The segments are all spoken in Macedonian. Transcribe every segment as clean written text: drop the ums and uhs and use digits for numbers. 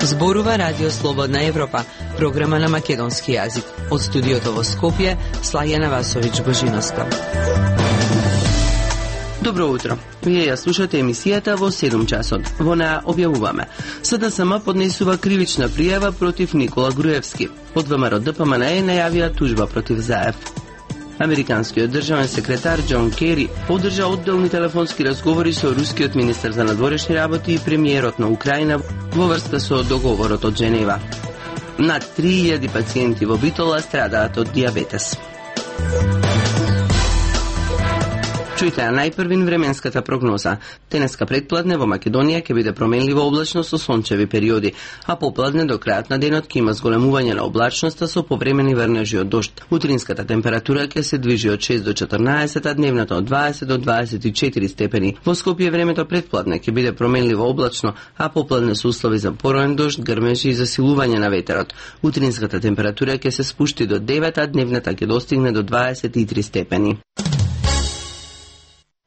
Зборува Радио Слободна Европа, програма на македонски јазик. Од студиото во Скопје, Слајана Васович-Божиновска. Добро утро. Вие ја слушате емисијата во 7 часот. Во неа објавуваме: СДСМ поднесува кривична пријава против Никола Груевски. Од ВМРО ДПМН најавија тужба против Заев. Американскиот државен секретар Џон Кери одржа одделни телефонски разговори со рускиот министер за надворешни работи и премиерот на Украина во врска со договорот од Женева. Над 3000 пациенти во Битола страдаат од дијабетес. Чујте најпрвин временската прогноза. Денеска предпладне во Македонија ќе биде променливо облачно со сончеви периоди, а попладне до крајот на денот ќе има зголемување на облачноста со повремени врнежи од дожд. Утринската температура ќе се движи од 6 до 14, а дневната од 20 до 24 степени. Во Скопје времето предпладне ќе биде променливо облачно, а попладне со услови за пороен дожд, грмежи и засилување на ветерот. Утринската температура ќе се спушти до 9, а дневната ќе достигне до 23 степени.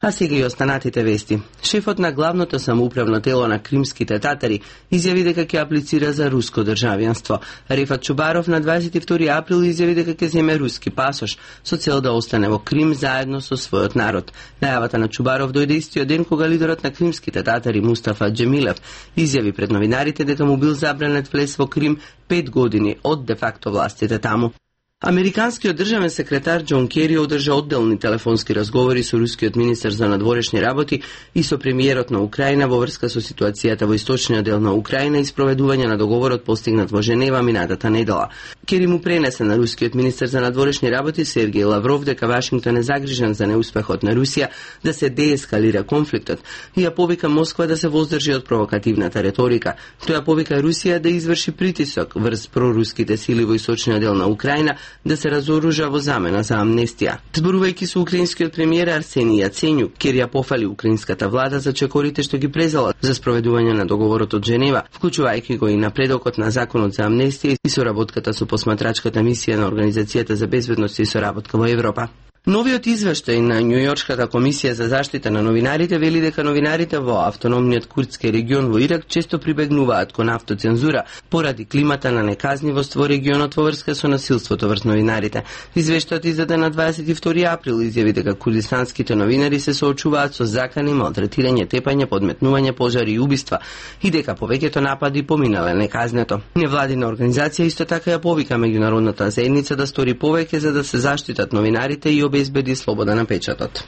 А сега и останатите вести. Шефот на главното самоуправно тело на кримските татари изјави дека ќе аплицира за руско државјанство. Рефат Чубаров на 22 април изјави дека ќе земе руски пасош со цел да остане во Крим заедно со својот народ. Најавата на Чубаров дојде истиот ден кога лидерот на кримските татари Мустафа Џемилев изјави пред новинарите дека му бил забранет влез во Крим 5 години од де факто властите таму. Американскиот државен секретар Џон Кери одржа одделни телефонски разговори со рускиот министер за надворешни работи и со премиерот на Украина во врска со ситуацијата во источниот дел на Украина и спроведување на договорот постигнат во Женева минатата недела. Кери му пренесе на рускиот министер за надворешни работи Сергеј Лавров дека Вашингтон е загрижен за неуспехот на Русија да се деескалира конфликтот и ја повика Москва да се воздржи од провокативната реторика. Тој ја повика Русија да изврши притисок врз проруските сили во источниот дел на Украина да се разоружа во замена за амнестија. Зборувајќи со украинскиот премиер Арсени Јаценјук, Кери ја пофали украинската влада за чекорите што ги презала за спроведување на договорот од Женева, вклучувајќи го и напредокот на законот за амнестија и соработката со посматрачката мисија на Организацијата за безбедност и соработка во Европа. Новиот извештај на Њујоршката комисија за заштита на новинарите вели дека новинарите во автономниот курдски регион во Ирак често прибегнуваат кон автоцензура поради климата на неказнивост во регионот во врска со насилството врз новинарите. Извештајот издаден на 22 април изјави дека курдистанските новинари се соочуваат со закани, малтретирање, тепање, подметнување, пожари и убиства и дека повеќето напади поминале неказнето. Невладина организација исто така ја повика меѓународната заедница да стори повеќе за да се заштитат новинарите и обезбеди слобода на печатот.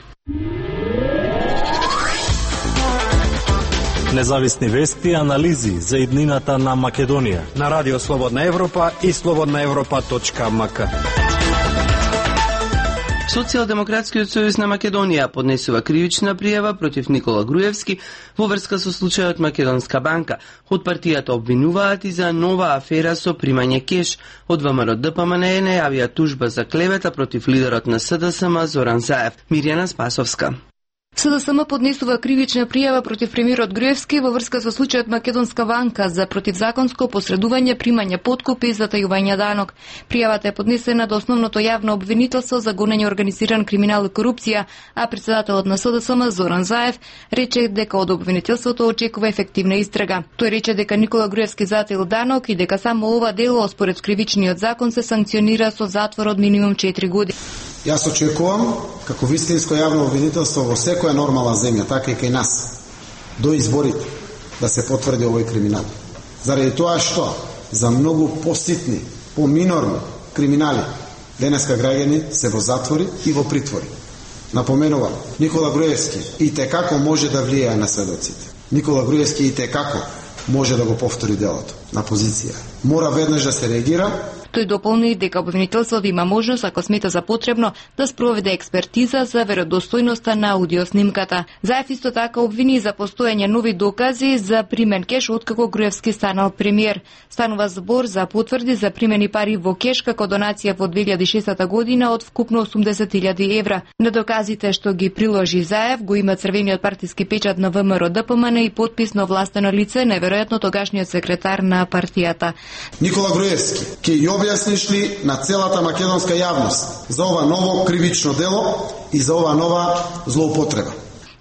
Независни вести и анализи за иднината на Македонија на Радио Слободна Европа и slobodnaevropa.mk. Социјалдемократскиот сојуз на Македонија поднесува кривична пријава против Никола Груевски во врска со случајот Македонска банка. Од партијата обвинуваат и за нова афера со примање кеш. Од ВМРО ДПМН најавија тужба за клевета против лидерот на СДСМ Зоран Заев. Мирјана Спасовска. СДСМ поднесува кривична пријава против премиерот Груевски во врска со случајот Македонска банка за противзаконско посредување, примање подкупи и затајување данок. Пријавата е поднесена до основното јавно обвинителство за гонење организиран криминал и корупција, а председателот на СДСМ Зоран Заев рече дека од обвинителството очекува ефективна истрага. Тој рече дека Никола Груевски затаил данок и дека само ова дело според кривичниот закон се санкционира со затвор од минимум 4 години. Јас очекувам, како вистинско јавно обвинителство во секоја нормална земја, така и кај нас, до изборите, да се потврди овој криминал. Заради тоа што за многу поситни, поминорни криминали денеска граѓани се во затвори и во притвори. Напоменувам, Никола Груевски и текако може да влијае на сведоците. Никола Груевски и текако може да го повтори делото на позиција. Мора веднаш да се реагира. Тој дополни дека обвинителството има можност, ако смета за потребно, да спроведе експертиза за веродостојноста на аудиоснимката. Заев исто така обвини за постојање нови докази за примен кеш откако Груевски станал премиер. Станува збор за потврди за примени пари во кеш како донација во 2006 година од вкупно 80.000 евра. На доказите што ги приложи Заев го има црвениот партиски печат на ВМРО ДПМН и подпис на овластено лице, неверојатно тогашниот секретар на партијата. Никола Груевски ќе објасниш ли на целата македонска јавност за ова ново кривично дело и за ова нова злоупотреба?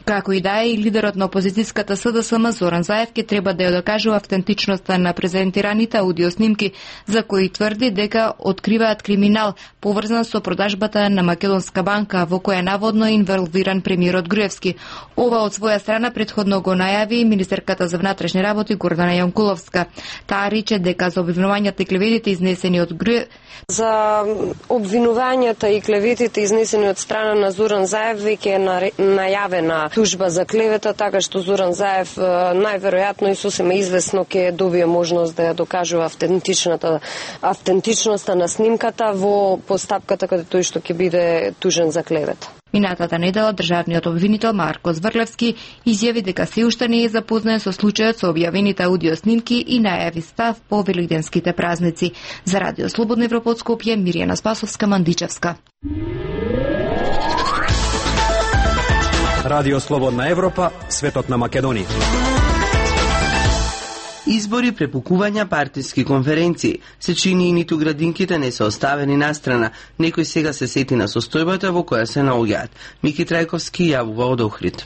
Како и да е, и лидерот на опозицијската СДСМ Зоран Заев ке треба да ја докаже автентичноста на презентираните аудио снимки, за кои тврди дека откриваат криминал поврзан со продажбата на Македонска банка, во која наводно е инволвиран премиерот Груевски. Ова од своја страна претходно го најави министерката за внатрешни работи Гордана Јанкуловска. Таа рече дека за обвинувањата и клеветите изнесени од За обвинувањата и клеветите изнесени од страна на Зоран Заев веќе е најавена тужба за клевета, така што Зоран Заев најверојатно и сосема извесно ќе добие можност да ја докажува автентичноста на снимката во постапката каде тој што ќе биде тужен за клевета. Минатата недела државниот обвинител Марко Зврлевски изјави дека се уште не е запознат со случајот со објавените аудио снимки и најави став по велигденските празници. За Радио Слободна Европа од Скопје, Миријана Спасовска-Мандичевска. Радио Слободна Европа, светот на Македонија. Избори, препукувања, партиски конференции. Се чини и ниту градинките не се оставени настрана. Некој сега се сети на состојбата во која се наоѓаат. Мики Трајковски јавува од Охрид.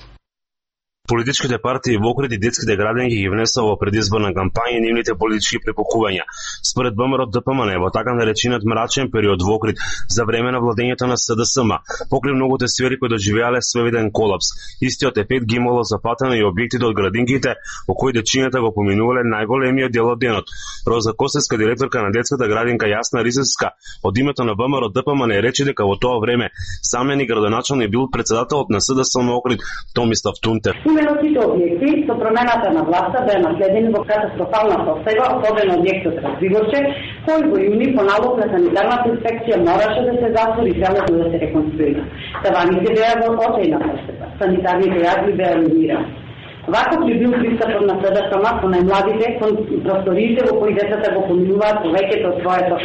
Политичките партии во Охрид и детските градинки ги внесува во предизборна кампања нивните политички препукувања. Според ВМРО ДПМН во така наречениот мрачен период во Охрид за време на владењето на СДСМ, покрај многуте сфери кои доживеале свевиден колапс. Истиот ефект ги имало запатено и објектите од градинките во кои дечињата го поминувале најголемиот дел од денот. Роза Костевска, директорка на детската градинка Јасна Ризевска, од името на ВМРО ДПМН рече дека во тоа време самени градоначалник бил председателот на СДСМ Охрид Томислав Тунтев. Именно сите објекти со промената на власта беа наследени во катастрофална состојба од еден објект од Развигорче, кој во јуни по налог на санитарната инспекција мораше да се затвори и целото да се реконструира. Таваните беа во очајна состојба, санитарните јазби беа руинирани. Ваков ли бил пристапот на СДСМ со најмладите кон просториите во кои децата го поминуваат повеќето од своето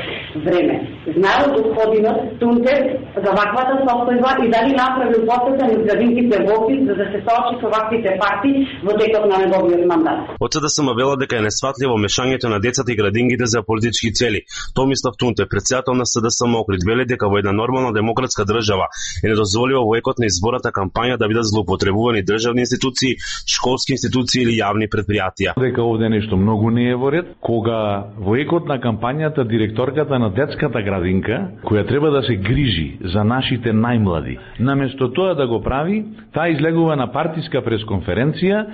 време. Знаел господинот Тунтев за ваквата состојба и дали направил посета низ градинките во Охрид за да се соочи со ваквите факти во текот на неговиот мандат. Од СДСМ велат дека е несфатливо мешањето на децата и градинките за политички цели. Томислав Тунтев, председател на СДСМ Охрид, вели дека во една нормална демократска држава е недозволиво во екот на изборната кампања да бидат злоупотребувани државни институции, школски институции или јавни предпријатија. Дека овде нешто многу не е во ред, кога во екот на кампањата директорката на детската градинка, која треба да се грижи за нашите најмлади, наместо тоа да го прави, таа излегува на партиска пресконференција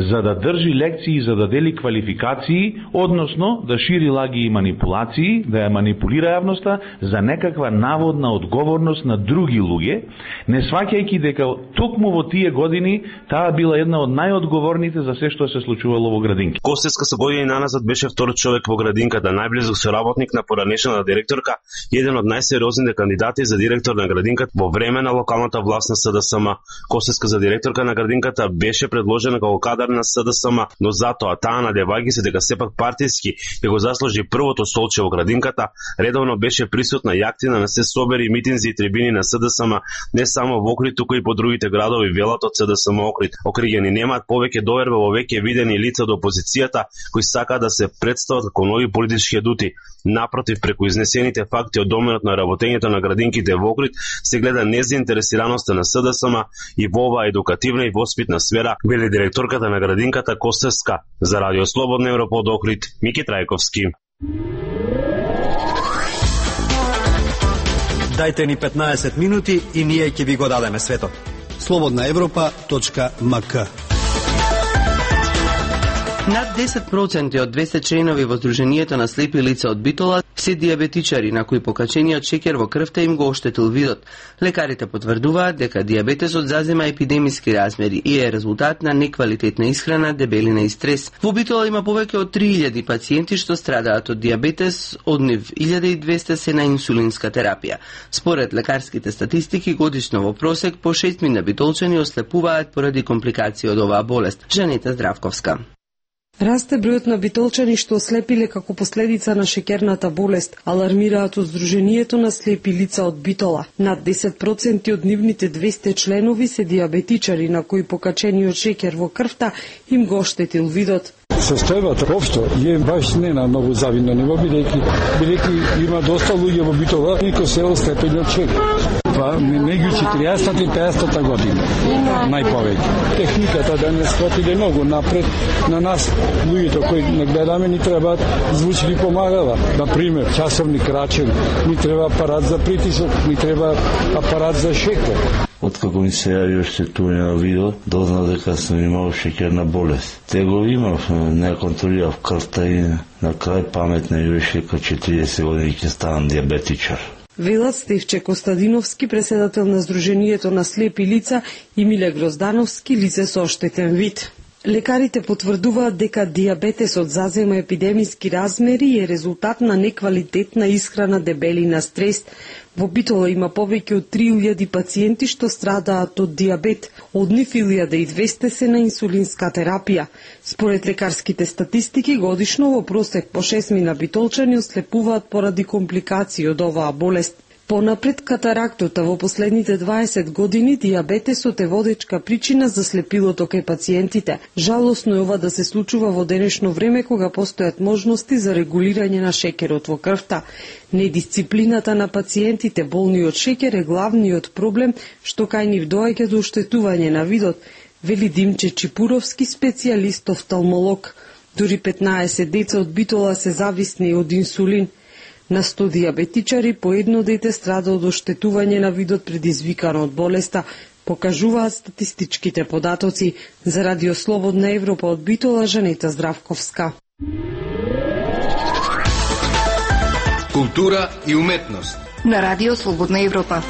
за да држи лекции, за да дели квалификации, односно да шири лаги и манипулации, да ја манипулира јавноста за некаква наводна одговорност на други луѓе, не сваќајќи дека токму во тие години таа била една од најодговорните за се што се случувало во градинки. Костевска со години наназад беше втор човек во градинката, најблизок соработник на поранешната директорка и еден од најсериозните кандидати за директор на градинката во време на локалната власт на СДСМ. Костевска за директорка на градинката беше предложена како кадар на СДСМ, но затоа таа надевајќи се дека сепак партиски ќе го заслужи првото столче во градинката, редовно беше присутна и активна на се собери, митинзи и трибини на СДСМ, не само во Охрид, туку и по другите градови, велат од СДСМ Охрид. Окриѓани немаат повеќе доверба во веќе видени лица од опозицијата кои сакаат да се представат како нови политички адути. Напротив, преку изнесените факти од доменот на работењето на градинките во Охрид се гледа незаинтересираноста на СДСМ и во оваа едукативна и воспитна сфера, вели директорката на градинката Костевска. За Радио Слободна Европа од Охрид, Мики Трајковски. Дајте ни 15 минути и ние ќе ви го дадеме светот. slobodnaevropa.mk. Над 10% од 200 членови во Сдруженијето на слепи лица од Битола се диабетичари на кои покачениот шеќер во крвта им го оштетил видот. Лекарите потврдуваат дека диабетесот зазема епидемиски размери и е резултат на неквалитетна исхрана, дебелина и стрес. Во Битола има повеќе од 3000 пациенти што страдаат од диабетес, од нив 1200 се на инсулинска терапија. Според лекарските статистики, годишно во просек по 6000 битолчани ослепуваат поради компликации од оваа болест. Жанета Здравковска. Расте бројот на битолчани што ослепиле како последица на шеќерната болест, алармираат од Сдруженијето на слепи лица од Битола. Над 10% од нивните 200 членови се диабетичари на кои покачениот шеќер во крвта им го оштетил видот. Состојбата општо е баш не на многу завидно ниво, бидејќи има доста луѓе во Битола и кој се остепени од чек. Меѓу 40-та и 50-та година, најповеќе. Техниката денес отиде многу напред. На нас, луѓето кои не гледаме, ни треба звучни помагала. Например, часовник рачен, ни треба апарат за притисок, ни треба апарат за шекер. Откако ми се јави оштетување на видео, дознав дека сум имал шеќерна болест. Те го имав, не контролирав крвта и на крај паметна ми беше како 40 години ќе ставам диабетичар. Велат Стефче Костадиновски, преседател на Сдруженијето на слепи лица, и Миле Гроздановски, лице со оштетен вид. Лекарите потврдуваат дека диабетесот зазема епидемиски размери и е резултат на неквалитетна исхрана, дебелина, стрес. Во Битола има повеќе од 3000 пациенти што страдаат од диабет, од нив 1200 се на инсулинска терапија. Според лекарските статистики, годишно во просек по 6 битолчани ослепуваат поради компликации од оваа болест. Понапред, катарактата во последните 20 години, диабетесот е водечка причина за слепилото кај пациентите. Жалосно е ова да се случува во денешно време кога постојат можности за регулирање на шеќерот во крвта. Недисциплината на пациентите болни од шеќер е главниот проблем што кај нив доаѓа до оштетување на видот, вели Димче Чипуровски, специјалист офталмолог. Дури 15 деца од Битола се зависни од инсулин. На 100 диабетичари по едно дете страда од оштетување на видот предизвикано од болеста, покажуваат статистичките податоци. За Радио Слободна Европа од Битола, Жанета Здравковска. Култура и уметност на Радио Слободна Европа.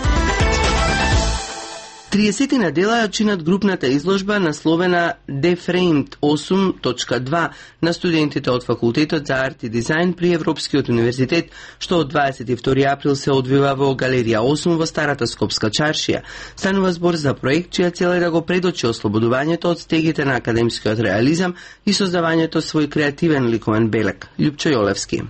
30 на дела ја чинат групната изложба насловена Deframed 8.2 на студентите од Факултетот за арт и дизајн при Европскиот универзитет, што од 22 април се одвива во Галерија 8 во Старата Скопска чаршија. Станува збор за проект чија цел е да го предочи ослободувањето од стегите на академскиот реализам и создавањето свој креативен ликовен белег. Љупчо Јолевски.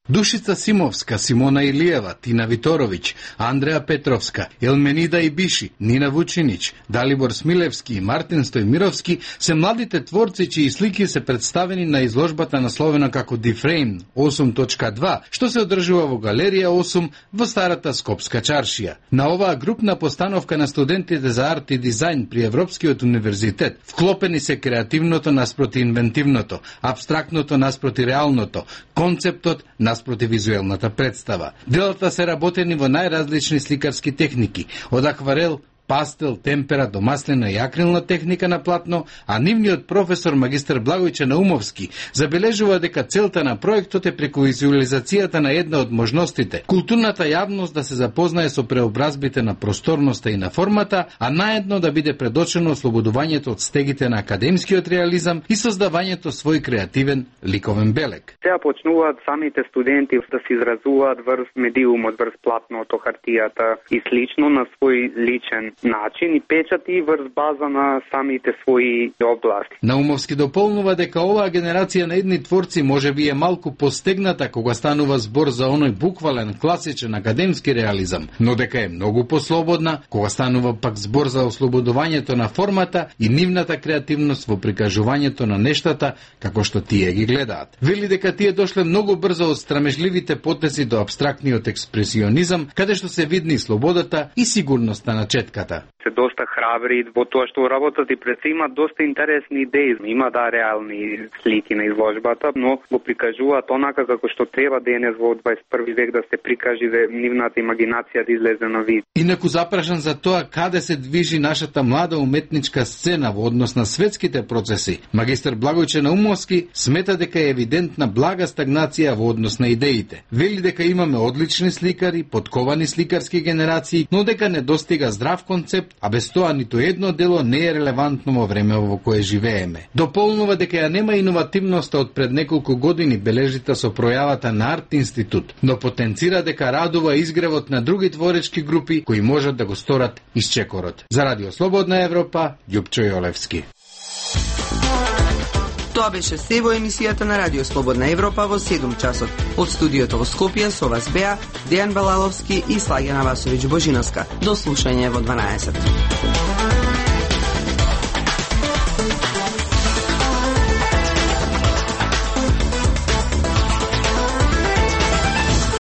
Душица Симовска, Симона Илиева, Тина Виторовиќ, Андреа Петровска, Елменида Ибиши, Нина Вучинич, Далибор Смилевски и Мартин Стојмировски се младите творци чии слики се представени на изложбата насловена како Deframed 8.2, што се одржува во Галерија 8 во Старата Скопска чаршија. На оваа групна постановка на студентите за арт и дизајн при Европскиот универзитет вклопени се креативното наспроти инвентивното, абстрактното наспроти реалното, концептот наспроти визуелната представа. Делата се работени во најразлични сликарски техники, од акварел, пастел, темпера до маслена и акрилна техника на платно, а нивниот професор магистар Благојче Наумовски забележува дека целта на проектот е преку визуализацијата на една од можностите, културната јавност да се запознае со преобразбите на просторноста и на формата, а наедно да биде предочено ослободувањето од стегите на академскиот реализам и создавањето свој креативен ликовен белег. Сега почнуваат самите студенти да се изразуваат врз медиумот, врз платното, хартијата и слично на свој личен начин и печати врз база на самите своји области. Наумовски дополнува дека оваа генерација на едни творци можеби е малку постегната кога станува збор за оној буквален, класичен академски реализам, но дека е многу послободна кога станува пак збор за ослободувањето на формата и нивната креативност во прикажувањето на нештата како што тие ги гледаат. Вели дека тие дошле многу брзо од страмежливите потеси до абстрактниот експресионизам, каде што се видни слободата и сигурноста на четката. Се доста храбри во тоа што работат и пред се имаат доста интересни идеи. Има реални слики на изложбата, но го прикажуваат онака како што треба денес во 21 век да се прикажи да нивната имагинација да излезе на вид. Инаку запрашан за тоа каде се движи нашата млада уметничка сцена во однос на светските процеси, магистар Благојче Наумовски смета дека е евидентна блага стагнација во однос на идеите. Вели дека имаме одлични сликари, подковани сликарски генерации, но дека недостига здрав концепт, а без тоа ниту едно дело не е релевантно во време во кое живееме. Дополнува дека ја нема иновативноста од пред неколку години бележита со пројавата на Арт Институт, но потенцира дека радува изгревот на други творечки групи кои можат да го сторат исчекорот. За Радио Слободна Европа, Љупчо Јолевски. Тоа беше се во емисијата на Радио Слободна Европа во 7 часот. Од студиото во Скопје со вас беа Дејан Балаловски и Слагена Васовиќ Божиновска. До слушање во 12.